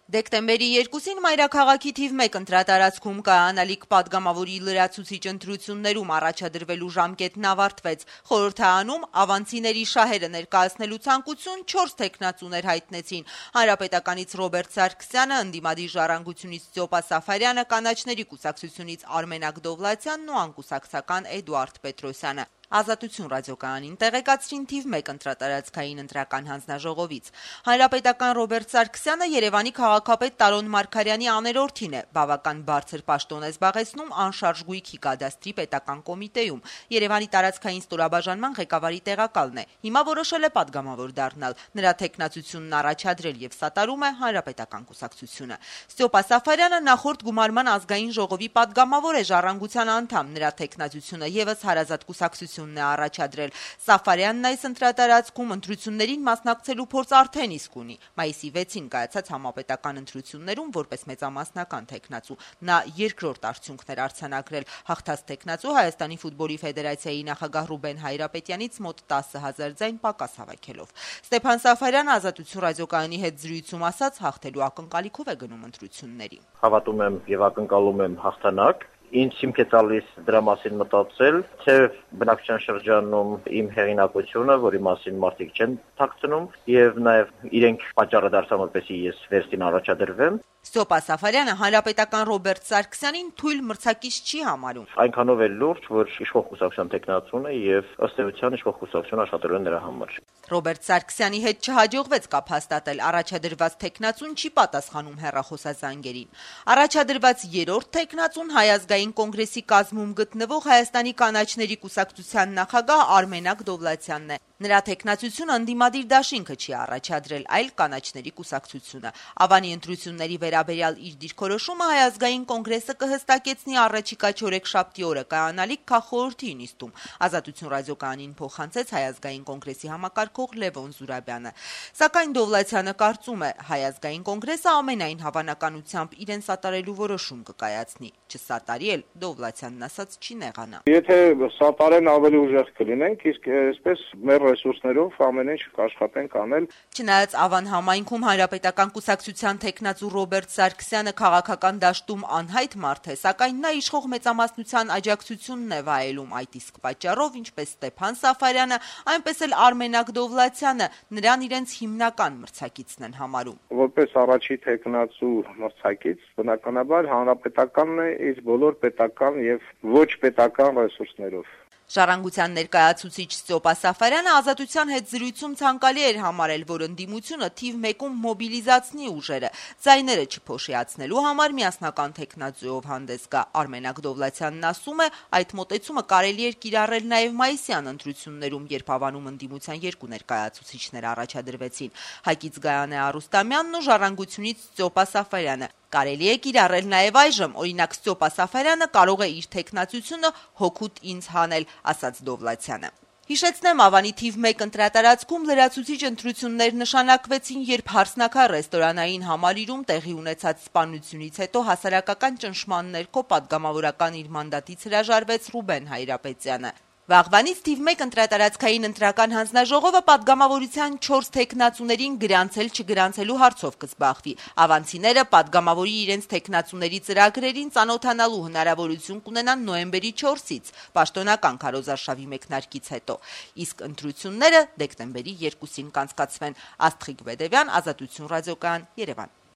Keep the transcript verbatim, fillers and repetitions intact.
Դեկտեմբերի երկուսին մայրաքաղաքի թիվ մեկ ընտրատարածքում կայանալիք պատգամավորի լրացուցիչ ընտրություններում առաջադրվելու ժամկետն ավարտվեց։ Խորհրդարանում ավանցիների շահերը ներկայացնելու ցանկություն չորս թեկնածուներ հայտնեցին։ Հանրապետականից Ռոբերտ Սարգսյանը, ընդդիմադիր Ժառանգությունից Ստյոպա Սաֆարյանը, կանաչների կուսակցությունից Արմենակ Դովլաթյանն ու անկուսակցական Էդուարդ Պետրոսյանը։ Ազատություն ռադիոկայանին տեղեկացրին թիվ մեկ ընտրատարածքային ընտրական հանձնաժողովից։ Հանրապետական Ռոբերտ Սարգսյանը Երևանի քաղաքապետ Տարոն Մարգարյանի աներորդին է, բավական բարձր պաշտոն է զբաղեցնում անշարժ գույքի կադաստրի պետական կոմիտեում, Երևանի տարածքային ստորաբաժանման ղեկավարի տեղակալն է։ Հիմա որոշել է պատգամավոր դառնալ, նրա թեկնածությունն առաջադրել եւ սատարում է Հանրապետական կուսակցությունը։ Ստյոպա Սաֆարյանը նախորդ գումարման ազգային ժողովի պատգամավոր է, Ժառանգության անդամ, նրա թեկնածությունը եւս հարազատ կուսակցություն է առաջադրել։ Սաֆարյանն այս ընտրատարածքում ընտրություններին մասնակցելու փորձ արդեն իսկ ունի։ Մայիսի վեցին կայացած համապետական ընտրություններում որպես մեծամասնական թեկնածու նա երկրորդ արդյունքներ արձանագրել, հաղթած թեկնածու Հայաստանի ֆուտբոլի ֆեդերացիայի նախագահ Ռուբեն Հայրապետյանից մոտ տասը հազար ձայն պակաս հավաքելով։ Ստեփան Սաֆարյանը Ազատություն ռադիոկայանի հետ զրույցում ասաց, հաղթելու ակնկալիքով է գնում ընտրությունների։ Հավատում եմ եւ ակնկալում եմ հաղթանակ։ Ինձ հիմք է տալիս դրա մասին մտածել, թե բնակչության շրջանում իմ հեղինակությունը, որի մասին մարդիկ չեն թաքցնում, եւ նաեւ իրենք պատճառը դարձան, որպեսզի ես վերստին առաջադրվեմ։ Ստյոպա Սաֆարյանը Հանրապետական Ռոբերտ Սարգսյանին թույլ մրցակից չի համարում։ Այնքանով է լուրջ, որ իշխող կուսակցության տեխնացուն է եւ ըստ էության իշխող կուսակցությունը աշխատելու է նրա համար։ Ռոբերտ Սարգսյանի հետ չհաջողվեց կապ հաստատել, առաջադրված տեխնացուն չի պատասխանում հեռախոսազանգերին։ Առաջադրված երրորդ տեխնացուն Հայ ազգային կոնգրեսի կազմում գտնվող Հայաստանի կանաչների կուսակցության նախագահ Արմենակ Դովլաթյանն է։ Նրա տեխնացությունը ընդդիմադիր դաշինքը չի առաջադրել, այլ կանաչների կուսակցությունը։ Ավանի ընտրությունների վերաբերյալ իր դիրքորոշումը Հայ ազգային կոնգրեսը կհստակեցնի առաջիկա չորեքշաբթի օրը կայանալիք քաղխորհրդի նիստում։ Ազատություն ռադիոկայանին փոխանցեց Հայ ազգային կոնգրեսի համակարգող Լևոն Զուրաբյանը։ Սակայն Դովլաթյանը կարծում է, Հայ ազգային կոնգրեսը ամենայն հավանականությամբ իրեն սատարելու որոշում կկայացնի։ Չսատարի էլ Դովլաթյանն ասաց չի նեղանա։ Եթե սատարեն ավելի ուժեղ կլինենք, իսկ այսպես մեր ռեսուրսներով ամեն ինչ կաշխատենք անել։ Չնայած Ավան համայնքում Հանրապետական կուսակցության թեկնածու Ռոբերտ Սարգսյանը քաղաքական դաշտում անհայտ մարդ է, սակայն նա իշխող մեծամասնության աջակցությունն է վայելում, այդ իսկ պատճառով, ինչպես Ստեփան Սաֆարյանը, այնպես էլ Արմենակ Դովլաթյանը նրան իրենց հիմնական մրցակիցն են համարում։ Որպես առաջի թեկնածու մրցակից, բնականաբար Հանրապետականն է իր բոլոր պետական եւ ոչ պետական ռեսուրսներով։ Ժառանգության ներկայացուցիչ Ստյոպա Սաֆարյանը Ազատության հետ զրույցում ցանկալի էր համարել, որ ընդդիմությունը թիվ մեկում մոբիլիզացնի ուժերը, ձայները չփոշիացնելու համար միասնական թեկնածուով հանդես գա։ Արմենակ Դովլաթյանն ասում է, այդ մոտեցումը կարելի էր կիրառել նաև մայիսյան ընտրություններում, երբ Ավանում ընդդիմության երկու ներկայացուցիչներ առաջադրվեցին։ Հայկից Գայանե Արուստամյանն ու Ժառանգությունից Ստյոպա Սաֆարյանը։ Կարելի է կիրառել նաև այժմ, օրինակ Ստյոպա Սաֆարյանը կարող է իր թեկնածությունը հօգուտ ինձ հանել, ասաց Դովլաթյանը։ Հիշեցնեմ, Ավանի թիվ մեկ ընտրատարածքում լրացուցիչ ընտրություններ նշանակվեցին, երբ Հարսնաքար ռեստորանային համալիրում տեղի ունեցած սպանությունից հետո հասարակական ճնշման ներքո պատգամավորական իր մանդատից հրաժարվեց Ռուբեն Հայրապետյանը։ Վաղվանից թիվ մեկ ընտրատարածքային ընտրական հանձնաժողովը պատգամավորության չորս թեկնածուներին գրանցել-չգրանցելու հարցով կզբաղվի։ Ավանցիները պատգամավորի իրենց թեկնածուների ծրագրերին ծանոթանալու հնարավորություն կունենան նոյեմբերի չորսից, պաշտոնական քարոզարշավի մեկնարկից հետո, իսկ ընտրությունները դեկտեմբերի երկուսին կանցկացվեն։ Աստղիկ Բեդևյան, Ազատություն ռադիոկայան, Երևան։